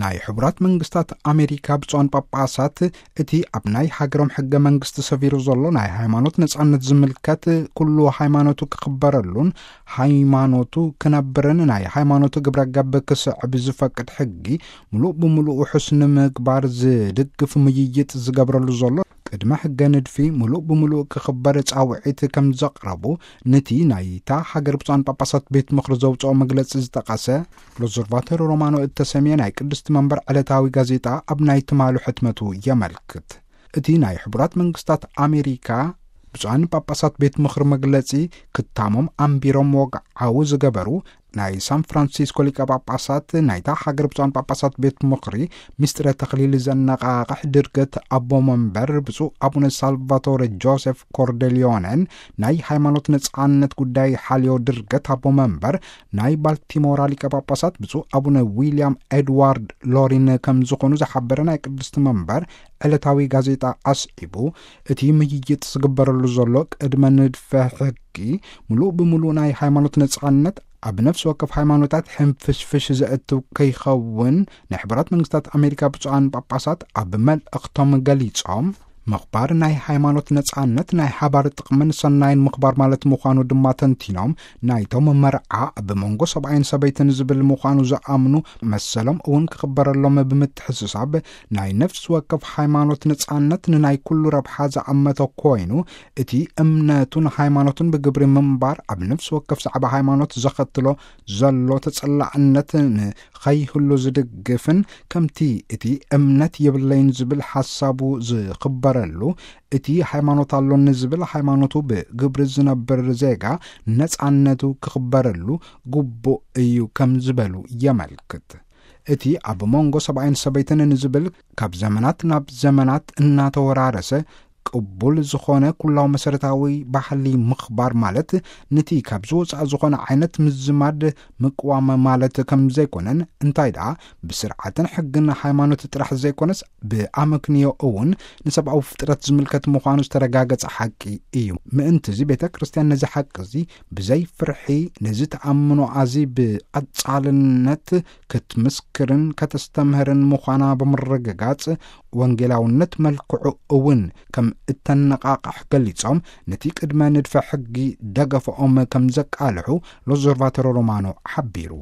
ናይ ሕቡራት መንግስታት ኣሜሪካ ብፁዓን ጳጳሳት እቲ ኣብ ናይ ሃገሮም ሕገ መንግስቲ ሰፊሩ ዘሎ ናይ ሃይማኖት ነጻነት ዝምልከት፣ ኩሉ ሃይማኖቱ ክኽበረሉን ሃይማኖቱ ክነብርን ናይ ሃይማኖቱ ግብረ ገብ ክስዕብ ዝፈቅድ ሕጊ ምሉእ ብምሉእ ውሑስ ንምግባር ዝድግፍ ምይይጥ ዝገብረሉ ዘሎ ቅድመ ሕገ ንድፊ ምሉእ ብምሉእ ክኽበር ጻውዒት ከም ዘቕረቡ፣ ነቲ ናይታ ሃገር ብፁዓን ጳጳሳት ቤት ምኽሪ ዘውፅኦ መግለጺ ዝጠቐሰ ሎዘርቫተር ሮማኖ እተሰምየ ናይ ቅድስቲ መንበር ዕለታዊ ጋዜጣ ኣብ ናይ ትማሉ ሕትመቱ የመልክት። እቲ ናይ ሕቡራት መንግስታት ኣሜሪካ ብፁዓን ጳጳሳት ቤት ምኽሪ መግለጺ፣ ክታሞም ኣንቢሮም ወግዓዊ ዝገበሩ ናይ ሳን ፍራንሲስኮ ሊቀ ጳጳሳት ናይታ ሃገር ብፁዓን ጳጳሳት ቤት ምኽሪ ምስጢረ ተኽሊል ዘነቓቕሕ ድርገት ኣቦ መንበር ብፁዕ ኣቡነ ሳልቫቶረ ጆሴፍ ኮርደሊዮነን፣ ናይ ሃይማኖት ነጻነት ጉዳይ ሓልዮ ድርገት ኣቦ መንበር ናይ ባልቲሞራ ሊቀ ጳጳሳት ብፁዕ ኣቡነ ዊልያም ኤድዋርድ ሎሪን ከም ዝኾኑ ዝሓበረ ናይ ቅድስቲ መንበር ዕለታዊ ጋዜጣ ኣስዒቡ፣ እቲ ምይይጥ ዝግበረሉ ዘሎ ቅድመ ንድፈ ሕጊ ምሉእ ብምሉእ ናይ ሃይማኖት ነጻነት ኣብ ነፍሲ ወከፍ ሃይማኖታት ሕንፍሽፍሽ ዘእትው ከይኸውን ናይ ሕቡራት መንግስታት ኣሜሪካ ብፁዓን ጳጳሳት ኣብ መልእኽቶም ገሊጾም፣ ምኽባር ናይ ሃይማኖት ነጻነት ናይ ሓባር ጥቕምን ሰናይን ምኽባር ማለት ምዃኑ ድማ ተንቲኖም፣ ናይቶም መርዓ ኣብ መንጎ ሰብኣይን ሰበይትን ዝብል ምዃኑ ዝኣምኑ መሰሎም እውን ክኽበረሎም ብምትሕስሳብ፣ ናይ ነፍሲ ወከፍ ሃይማኖት ነጻነት ንናይ ኩሉ ረብሓ ዝኣመተ ኮይኑ፣ እቲ እምነቱን ሃይማኖቱን ብግብሪ ምንባር ኣብ ነፍሲ ወከፍ ዛዕባ ሃይማኖት ዘኸትሎ ዘሎ ተጸላዕነት ንኸይህሉ ዝድግፍን፣ ከምቲ እቲ እምነት የብለይን ዝብል ሓሳቡ ዝኽበረሉ፣ እቲ ሃይማኖት ኣሎኒ ዝብል ሃይማኖቱ ብግብሪ ዝነብር ዜጋ ነጻነቱ ክኽበረሉ ግቡእ እዩ ከም ዝበሉ የመልክት። እቲ ኣብ መንጎ ሰብኣይን ሰበይትን ንዝብል ካብ ዘመናት ናብ ዘመናት እናተወራረሰ ቅቡል ዝኾነ ኩላው መሰረታዊ ባህሊ ምኽባር ማለት፣ ነቲ ካብ ዝወጻእ ዝኾነ ዓይነት ምዝማድ ምቅዋም ማለት ከም ዘይኮነን፣ እንታይ ደኣ ብስርዓትን ሕግን ሃይማኖት ጥራሕ ዘይኮነስ ብኣመክንዮ እውን ንሰብኣዊ ፍጥረት ዝምልከት ምዃኑ ዝተረጋገጸ ሓቂ እዩ። ምእንቲ እዚ ቤተ ክርስቲያን ነዚ ሓቂ እዚ ብዘይ ፍርሒ ነዚ ተኣምኖ ኣዚ ብቐጻልነት ክትምስክርን ከተስተምህርን ምዃና ብምርግጋጽ፣ ወንጌላውነት መልክዑ እውን ከም እተነቓቕሕ ገሊጾም፣ ነቲ ቅድመ ንድፈ ሕጊ ደገፈኦም ከም ዘቃልሑ ሎዘርቫተሮ ሮማኖ ሓቢሩ።